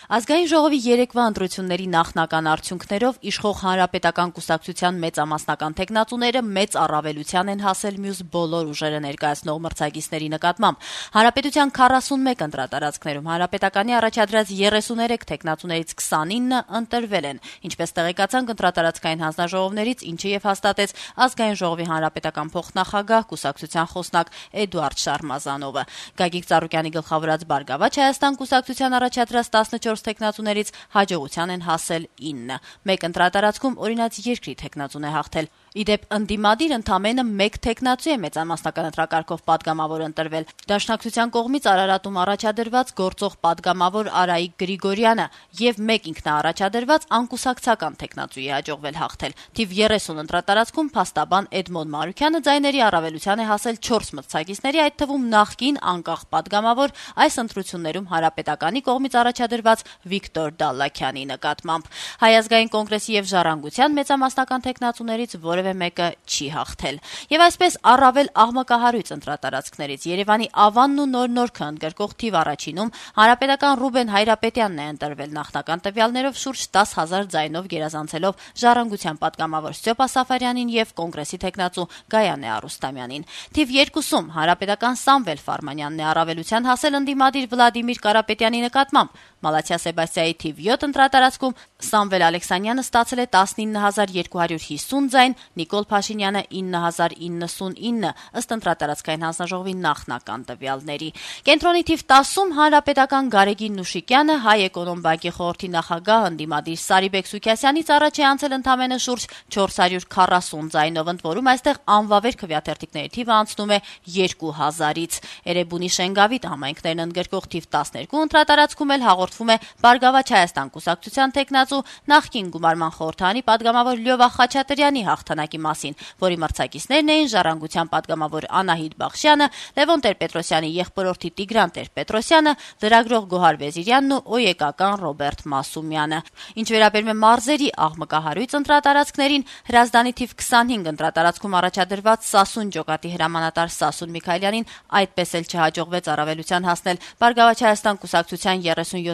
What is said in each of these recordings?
Ազգային ժողովի երեկվա ընտրությունների նախնական արդյունքներով իշխող Հանրապետական կուսակցության մեծամասնական թեկնածուները մեծ առավելության են հասել մյուս բոլոր ուժերը ներկայացնող մրցակիցների նկատմամբ։ Հանրապետության 41 ընտրատարածքներում Հանրապետականի առաջադրած 33 թեկնածուներից 29 ընտրվել են, ինչպես տեղեկացանք ընտրատարածքային հանձնաժողովներից, ինչը եւ հաստատեց Ազգային ժողովի հանրապետական փոխնախագահ կուսակցության խոսնակ Էդուարդ Շարմազանովը։ Գագիկ Ծառուկյանի գլխավորած Բարգավաճ Հայաստան կուսակցության առաջադրած 14 թեկնածուներից հաջողության են հասել 9։ Մեկ ընտրատարածքում օրինաց երկրի թեկնածուն է հաղթել։ Իդեպ ընդդիմադիր ընդամենը մեկ թեկնածու է մեծամասնական ընտրակարգով պատգամավոր ընտրվել։ Դաշնակցության կողմից Արարատում առաջադրված գործող պատգամավոր Արայիկ Գրիգորյանը եւ մեկ ինքնաառաջադրված անկուսակցական թեկնածուի հաջողվել հաղթել։ Թիվ 30 ընտրատարածքում փաստաբան Էդմոն Մարուկյանը ձայների առավելության է հասել 4 մրցակիցների, այդ թվում նախկին անկախ պատգամավոր այս ընտրություններում Հանրապետականի կողմից առաջադրված Վիկտոր Դալլաքյանի նկատմամբ։ Հայ ազգային կոնգրեսի եւ Ժառանգության մեծամասնական թեկնածուներից որևէ մեկը չի հաղթել։ Եվ այսպես առավել աղմկահարույց ընտրատարածքներից Երևանի Ավանն ու Նոր-Նորքը ընդգրկող թիվ առաջինում Հանրապետական Ռուբեն Հայրապետյանն է ընտրվել նախնական տվյալներով շուրջ 10,000 ձայնով գերազանցելով Ժառանգության պատգամավոր Ստյոպա Սաֆարյանին եւ կոնգրեսի թեկնածու Գայանե Արուստամյանին։ Թիվ 2-ում Հանրապետական Սամվել Ֆարմանյանն է առավելության հասել ընդդիմադիր Վլադիմիր Կարապետյանի նկատմամբ։ Մալաթիա Սեբաստիայի թիվ 7 ընտրատարածքում Սամվել Ալեքսանյանը ստացել է 19250 ձայն, Նիկոլ Փաշինյանը 9099 ըստ ընտրատարածքային հանձնաժողովի նախնական տվյալների։ Կենտրոնի թիվ 10-ում Հանրապետական Գարեգին Նուշիկյանը Հայ էկոնոմ բանկի խորհրդի նախագահ ընդդիմադիր Սարիբեկ Սուքիասյանից առաջ է անցել ընդամենը շուրջ 440 ձայնով, ընդ որում այստեղ անվավեր քվեաթերթիկների թիվը անցնում է 2000-ից։ Էրեբունի Շենգավիթ համայնքներն ընդգրկող թիվ 12 ընտրատարածքում էլ հաղորդվում է Բարգավաճ Հայաստան կուսակցության թեկնածու նախկին գումարման խորհրդանի պատգամավոր Լյովա Խաչատրյանի հաղթանակի մասին, որի մրցակիցներն էին Ժառանգության պատգամավոր Անահիտ Բախշյանը, Լևոն Տեր-Պետրոսյանի եղբորորդի Տիգրան Տեր-Պետրոսյանը, լրագրող Գոհար Վեզիրյանն ու օեկական Ռոբերտ Մասումյանը։ Ինչ վերաբերում է մարզերի աղմկահարույց ընտրատարածքներին, Հրազդանի թիվ 25 ընտրատարածքում առաջադրված Սասուն ջոկատի հրամանատար Սասուն Միքայելյանին այդպես էլ չհաջողվեց առավելության հասնել Բարգավաճ Հայաստան կուսակցության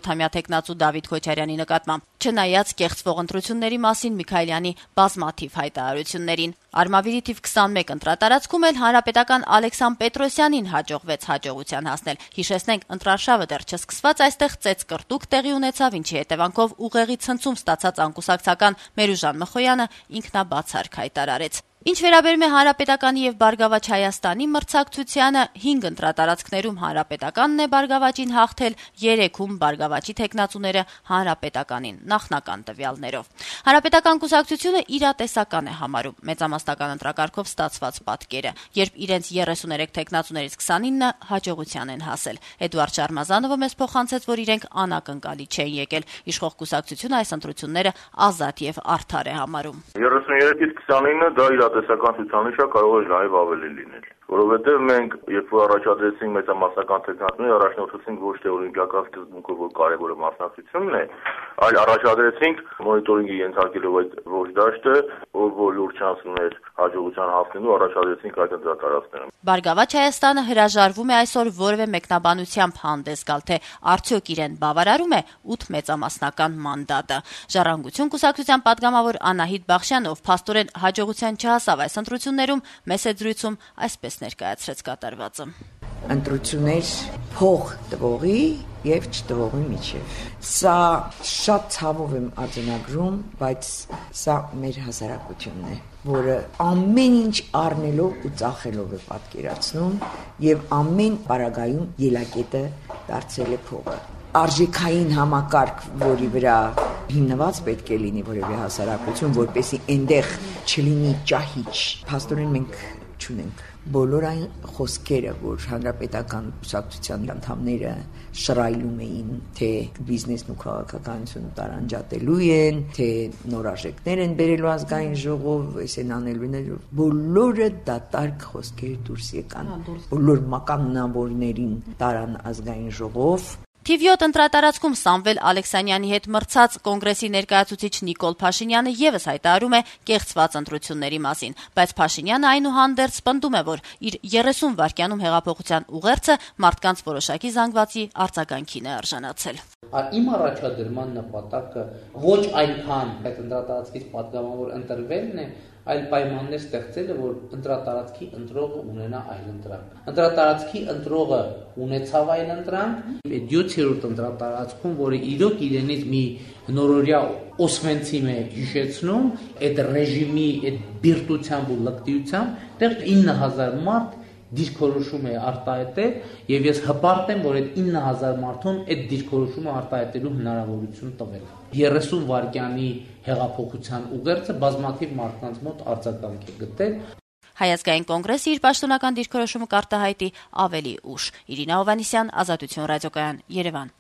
37-ամյա թեկնածու Դավիթ Քոչարյանի նկատմամբ, չնայած կեղծվող ընտրությունների մասին Միքայելյանի բազմաթիվ հայտարարություններին։ Արմավիրի թիվ 21 ընտրատարածքում էլ հանրապետական Ալեքսան Պետրոսյանին հաջողվեց հաջողության հասնել։ Հիշեցնենք, ընտրարշավը դեռ չսկսված այստեղ ծեծկռտուք տեղի ունեցավ, ինչի հետևանքով ուղեղի ցնցում ստացած անկուսակցական Մերուժան Մխոյանը ինքնաբացարք հայտարարեց։ Ինչ վերաբերում է Հանրապետականի եւ Բարգավաճ Հայաստանի մրցակցությանը, 5 ընտրատարածքներում Հանրապետականն է Բարգավաճին հաղթել, 3-ում Բարգավաճի թեկնածուները Հանրապետականին նախնական տվյալներով։ Հանրապետական կուսակցությունը իրատեսական է համարում մեծամասնական ընտրակարգով ստացված պատկերը, երբ իրենց 33 թեկնածուներից 29-ը հաջողության են հասել։ Էդուարդ Շարմազանովը մեզ փոխանցեց, որ իրենք անակնկալի չեն եկել։ Իշխող կուսակցությունը այս ընտրությունները ազատ եւ արդար է համարում։ 33-ից 29-ը դա տեսական ցուցանիշ է, կարող է նաև ավելի լինել, որովհետև մենք երբ որ առաջադրեցինք մեծամասնական թեկնածուների, առաջնորդեցինք ոչ թե օլիմպիական սկզբունքով, որ կարևորը մասնակցությունն է, այլ առաջադրեցինք մոնիտորինգի ենթարկելով այդ ոչ դաշտը, որ լուրջ շանս ուներ հաջողության հասնելու, առաջադրեցինք այդ ընտրատարածքները։ Բարգավաճ Հայաստանը հրաժարվում է այսօր որևէ մեկնաբանությամբ հանդես գալ, թե արդյոք իրեն բավարարում է 8 մեծամասնական մանդատը։ Ժառանգություն կուսակցության պատգամավոր Անահիտ Բախշյանը, ով փաստորեն հաջողության չհասավ այս ընտրություններում, մեծ զրույցում այսպես ներկայացրեց կատարվածը։ Ընտրություններ փող տվողի եւ չտվողի միջև։ Սա շատ ցավով եմ արձանագրում, բայց սա մեր հասարակությունն է, որը ամեն ինչ առնելով ու ծախելով է պատկերացնում եւ ամեն պարագայում ելակետը դարձել է փողը։ Արժեքային համակարգ, որի վրա հիմնված պետք է լինի որևէ հասարակություն, որպեսզի այնտեղ չլինի ճահիճ։ Փաստորեն մենք չունենք բոլոր այն խոսքերը, որ հանրապետական կուսակցության անդամները շռայլում էին, թե բիզնեսն ու քաղաքականությունը տարանջատելու են, թե նոր արժեքներ են բերելու ազգային ժողով, այս են անելու, բոլորը դատարկ խոսքեր դուրս եկան։ Բոլոր մականունավորներին տարան ազգային ժողով, Թիվ 7 ընտրատարածքում Սամվել Ալեքսանյանի հետ մրցած կոնգրեսի ներկայացուցիչ Նիկոլ Փաշինյանը եւս հայտարարում է կեղծված ընտրությունների մասին, բայց Փաշինյանը այնուհանդերձ պնդում է, որ իր 30 վայրկյանում հեղափոխության ուղերձը մարդկանց որոշակի զանգվածի արձագանքին է արժանացել։ Իմ առաջադրման նպատակը ոչ այնքան այդ ընտրատարածքից պատգամավոր ընտրվելն է, այլ պայմաններ ստեղծելը, որ ընտրատարածքի ընտրողը ունենա այլընտրանք։ Ընտրատարածքի ընտրողը ունեցավ այլընտրանք, այդ 7-րդ ընտրատարածքում, որը իրոք իրենից մի նորորյա օսվենցիմ է հիշեցնում, այդ ռեժիմի, այդ բիրտությամբ ու լկտիությամբ, դեռ 9000 մարդ դիրքորոշում է արտահայտել, եւ ես հպարտ եմ, որ այդ 9000 մարդուն այդ դիրքորոշումը արտահայտելու հնարավորություն տվել։ 30 վայրկյանի հեղափոխության ուղերձը բազմաթիվ մարդկանց մոտ արձագանք է գտել։ Հայ ազգային կոնգրեսը իր պաշտոնական դիրքորոշումը կարտահայտի ավելի ուշ։ Իրինա Հովհաննիսյան, Ազատություն ռադիոկայան, Երևան։